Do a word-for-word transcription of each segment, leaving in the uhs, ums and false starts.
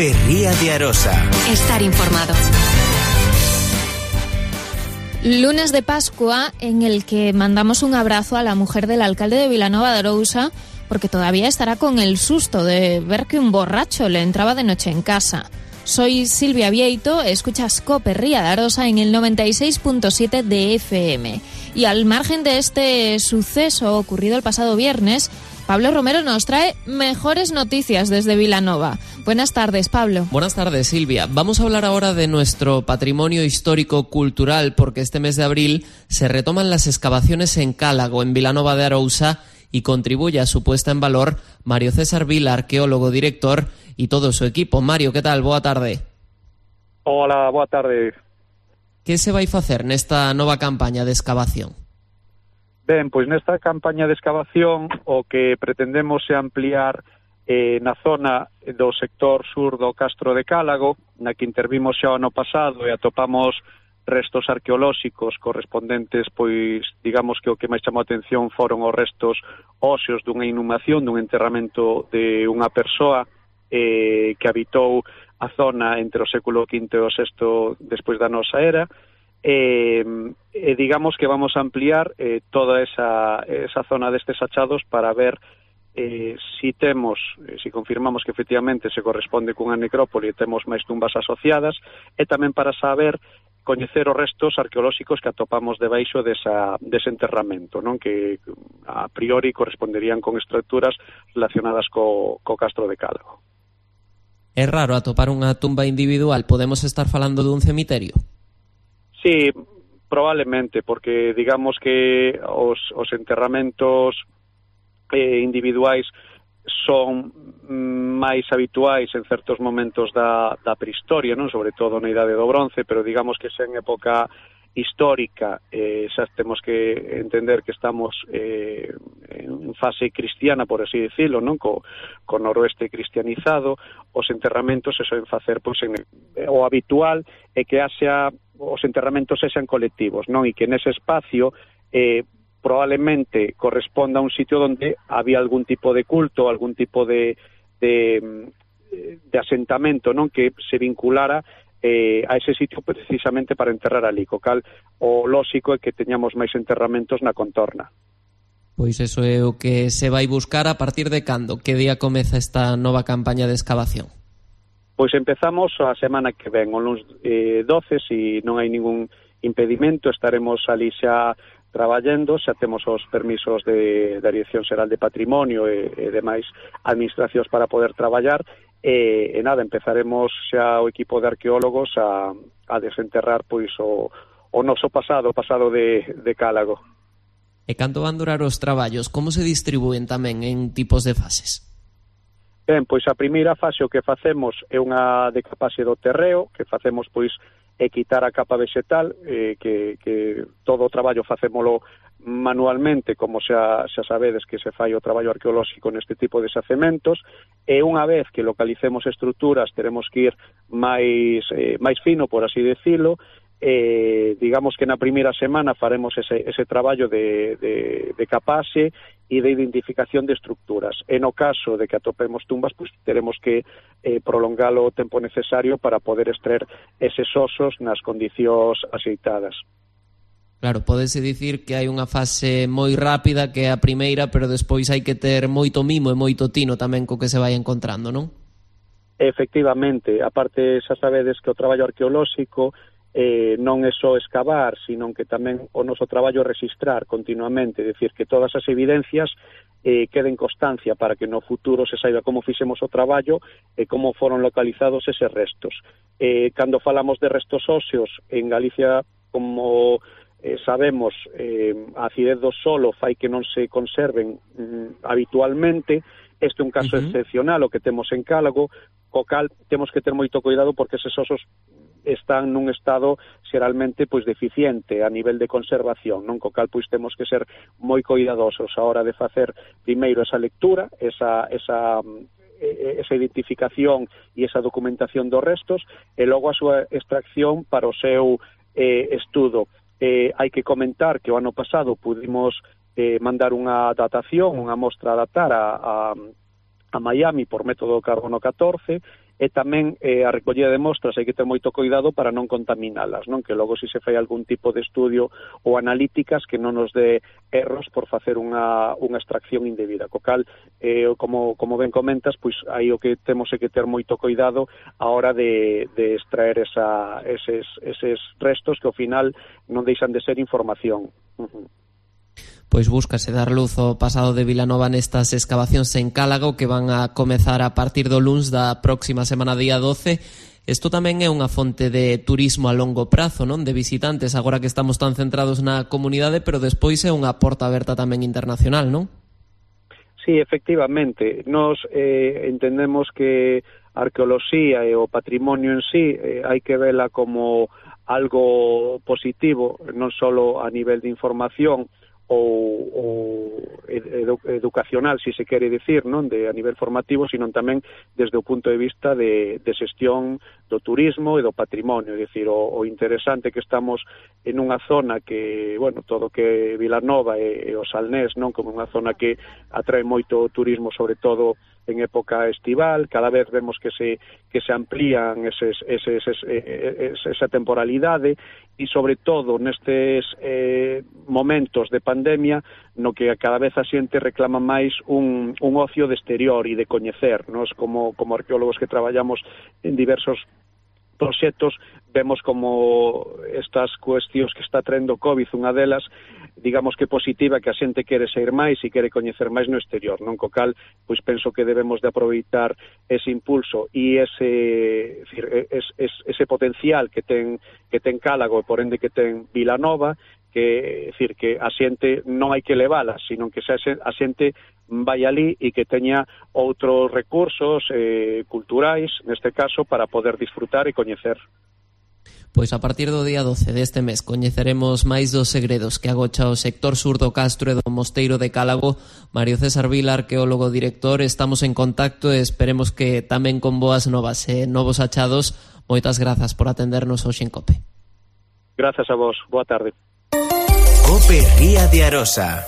Cope Ría de Arosa. Estar informado. Lunes de Pascua, en el que mandamos un abrazo a la mujer del alcalde de Vilanova de Arousa, porque todavía estará con el susto de ver que un borracho le entraba de noche en casa. Soy Silvia Vieito, escuchas Cope Ría de Arosa en el noventa y seis punto siete de F M. Y al margen de este suceso ocurrido el pasado viernes, Pablo Romero nos trae mejores noticias desde Vilanova. Buenas tardes, Pablo. Buenas tardes, Silvia. Vamos a hablar ahora de nuestro patrimonio histórico-cultural, porque este mes de abril se retoman las excavaciones en Cálago, en Vilanova de Arousa, y contribuye a su puesta en valor Mario César Vila, arqueólogo, director, y todo su equipo. Mario, ¿qué tal? Boa tarde. Hola, boa tarde. Que se vai facer nesta nova campaña de excavación? Ben, pois nesta campaña de excavación o que pretendemos é ampliar eh, na zona do sector sur do Castro de Cálago, na que intervimos xa o ano pasado e atopamos restos arqueolóxicos correspondentes, pois digamos que o que máis chamou a atención foron os restos óseos dunha inhumación, dun enterramento de unha persoa eh, que habitou a zona entre o século quinto e o sexto despois da nosa era. Eh, eh, digamos que vamos a ampliar eh, toda esa, esa zona destes achados para ver eh, si temos, eh, si confirmamos que efectivamente se corresponde cunha necrópole e temos máis tumbas asociadas, e tamén para saber coñecer os restos arqueolóxicos que atopamos debaixo desa, dese enterramento, non? Que a priori corresponderían con estructuras relacionadas co, co Castro de Cálago. É raro atopar unha tumba individual, podemos estar falando dun cemiterio? Sí, probablemente, porque digamos que os, os enterramentos eh, individuais son máis habituais en certos momentos da, da prehistoria, non? Sobre todo na Idade do Bronce, pero digamos que xa en época histórica eh, xa temos que entender que estamos eh, en fase cristiana, por así decirlo, non? Co, co noroeste cristianizado, os enterramentos se soen facer, pois, en, o habitual é que haxa os enterramentos sexan colectivos, non? E que nese espacio eh, probablemente corresponda a un sitio donde había algún tipo de culto, algún tipo de, de, de asentamento, non? Que se vinculara eh, a ese sitio precisamente para enterrar ali, co cal o lóxico é que teñamos máis enterramentos na contorna. Pois eso é o que se vai buscar. A partir de cando? Que día comeza esta nova campaña de excavación? Pois empezamos a semana que ven, o luns eh, doce, se non hai ningún impedimento, estaremos ali xa traballando, xa temos os permisos de, da Dirección Xeral de Patrimonio e, e demais administracións para poder traballar, e, e nada, empezaremos xa o equipo de arqueólogos a, a desenterrar pois o, o noso pasado, o pasado de, de Cálago. E canto van durar os traballos? Como se distribúen tamén en tipos de fases? Ben, pois a primeira fase o que facemos é unha decapase do terreo, que facemos pois é quitar a capa vegetal, eh, que, que todo o traballo facémolo manualmente, como xa, xa sabedes que se fai o traballo arqueolóxico neste tipo de xacementos, e unha vez que localicemos estruturas teremos que ir máis, eh, máis fino, por así decirlo. Eh, digamos que na primeira semana faremos ese, ese traballo de, de, de capase e de identificación de estructuras. E no caso de que atopemos tumbas, pues, teremos que eh, prolongar o tempo necesario para poder extraer eses osos nas condicións axeitadas. Claro, pódese dicir que hai unha fase moi rápida que é a primeira, pero despois hai que ter moito mimo e moito tino tamén co que se vai encontrando, non? Efectivamente, aparte xa sabedes que o traballo arqueolóxico Eh, non é só excavar, sino que tamén o noso traballo é registrar continuamente, é dicir, que todas as evidencias eh, queden constancia para que no futuro se saiba como fixemos o traballo e como foron localizados eses restos. Eh, cando falamos de restos óseos, en Galicia, como eh, sabemos, eh, a acidez do solo fai que non se conserven mm, habitualmente. Este é un caso uh-huh. excepcional o que temos en Cálago, co cal temos que ter moito cuidado porque eses osos están nun estado xeralmente pois deficiente a nivel de conservación, non? Co cal pois temos que ser moi cuidadosos a hora de facer primeiro esa lectura, esa esa esa identificación e esa documentación dos restos e logo a súa extracción para o seu eh, estudo. Eh, hai que comentar que o ano pasado pudimos eh, mandar unha datación, unha mostra a datar a, a a Miami por método carbono catorce e tamén eh, a recollida de mostras hai que ter moito cuidado para non contaminalas, non? Que logo se se fai algún tipo de estudio ou analíticas que non nos dé erros por facer unha, unha extracción indebida. Co cal, eh, como, como ben comentas, pois aí o que temos é que ter moito cuidado a hora de, de extraer esa, eses, eses restos que ao final non deixan de ser información. Uh-huh. Pois búscase dar luz ao pasado de Vilanova nestas escavacións en Cálago que van a comezar a partir do luns da próxima semana día doce. Isto tamén é unha fonte de turismo a longo prazo, non? De visitantes, agora que estamos tan centrados na comunidade, pero despois é unha porta aberta tamén internacional, non? Sí, efectivamente. Nos eh, entendemos que a arqueoloxía e o patrimonio en sí eh, hai que vela como algo positivo, non só a nivel de información, ou, ou edu, educacional, si se quere dicir, non, de a nivel formativo, sino tamén desde o punto de vista de, de xestión do turismo e do patrimonio. É dicir, o, o interesante que estamos en unha zona que, bueno, todo que Vilanova e, e o Salnés, non, como unha zona que atrae moito turismo, sobre todo en época estival, cada vez vemos que se que se amplían eses, eses, eses, eses, esa temporalidade e sobre todo nestes eh, momentos de pandemia no que cada vez a xente reclama máis un, un ocio de exterior e de coñecer. Nos como, como arqueólogos que traballamos en diversos proxectos vemos como estas cuestións que está traendo COVID, unha delas, digamos que positiva, que a xente quere sair máis e quere coñecer máis no exterior, non? Co cal, pois penso que debemos de aproveitar ese impulso e ese, ese, ese potencial que ten que ten Cálago e por ende que ten Vilanova, que, decir, que a xente non hai que levala, sino que a xente vai ali e que teña outros recursos eh, culturais, neste caso, para poder disfrutar e coñecer. Pois a partir do día doce deste mes coñeceremos máis dos segredos que agocha o sector sur do Castro e do Mosteiro de Cálago. Mario César Vila, arqueólogo director, estamos en contacto e esperemos que tamén con boas novas e novos achados. Moitas grazas por atendernos hoxe en COPE. Grazas a vos, boa tarde. COPE Ría de Arosa.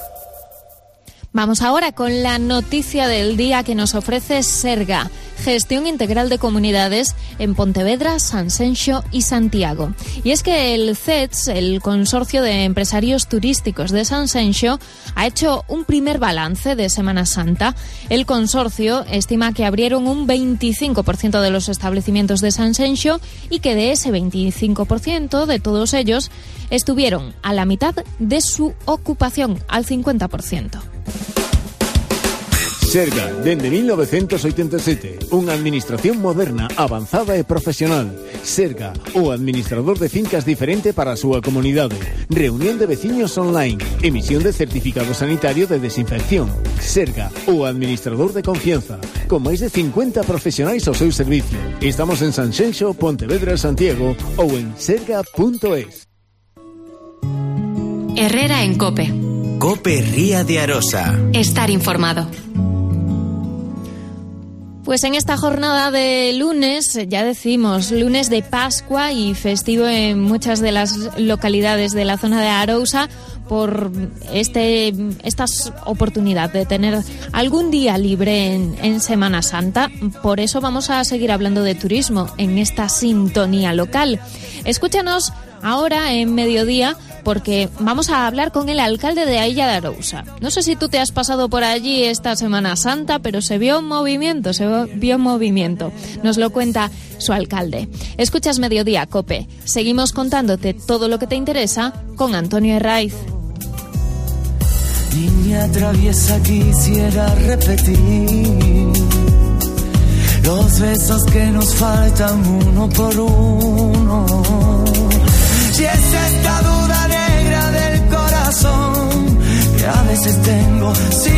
Vamos ahora con la noticia del día que nos ofrece Serga, Gestión Integral de Comunidades en Pontevedra, Sanxenxo y Santiago. Y es que el C E T S, el Consorcio de Empresarios Turísticos de Sanxenxo, ha hecho un primer balance de Semana Santa. El consorcio estima que abrieron un veinticinco por ciento de los establecimientos de Sanxenxo y que de ese veinticinco por ciento de todos ellos estuvieron a la mitad de su ocupación, al cincuenta por ciento. Serga, dende mil novecientos oitenta e sete, unha administración moderna, avanzada e profesional. Serga, o administrador de fincas diferente para a súa comunidade. Reunión de veciños online, emisión de certificado sanitario de desinfección. Serga, o administrador de confianza, con máis de cincuenta profesionais ao seu servicio. Estamos en Sanxenxo, Pontevedra, Santiago ou en serga punto es. Herrera en COPE. COPE Ría de Arosa. Estar informado. Pues en esta jornada de lunes, ya decimos, lunes de Pascua y festivo en muchas de las localidades de la zona de Arousa por este esta oportunidad de tener algún día libre en, en Semana Santa. Por eso vamos a seguir hablando de turismo en esta sintonía local. Escúchanos ahora en mediodía, porque vamos a hablar con el alcalde de Ailla de Arousa. No sé si tú te has pasado por allí esta Semana Santa, pero se vio movimiento, se vio movimiento. Nos lo cuenta su alcalde. Escuchas Mediodía, COPE. Seguimos contándote todo lo que te interesa con Antonio Herraiz. Niña traviesa, quisiera repetir los besos que nos faltan uno por uno. Si es esta duda negra del corazón que a veces tengo, si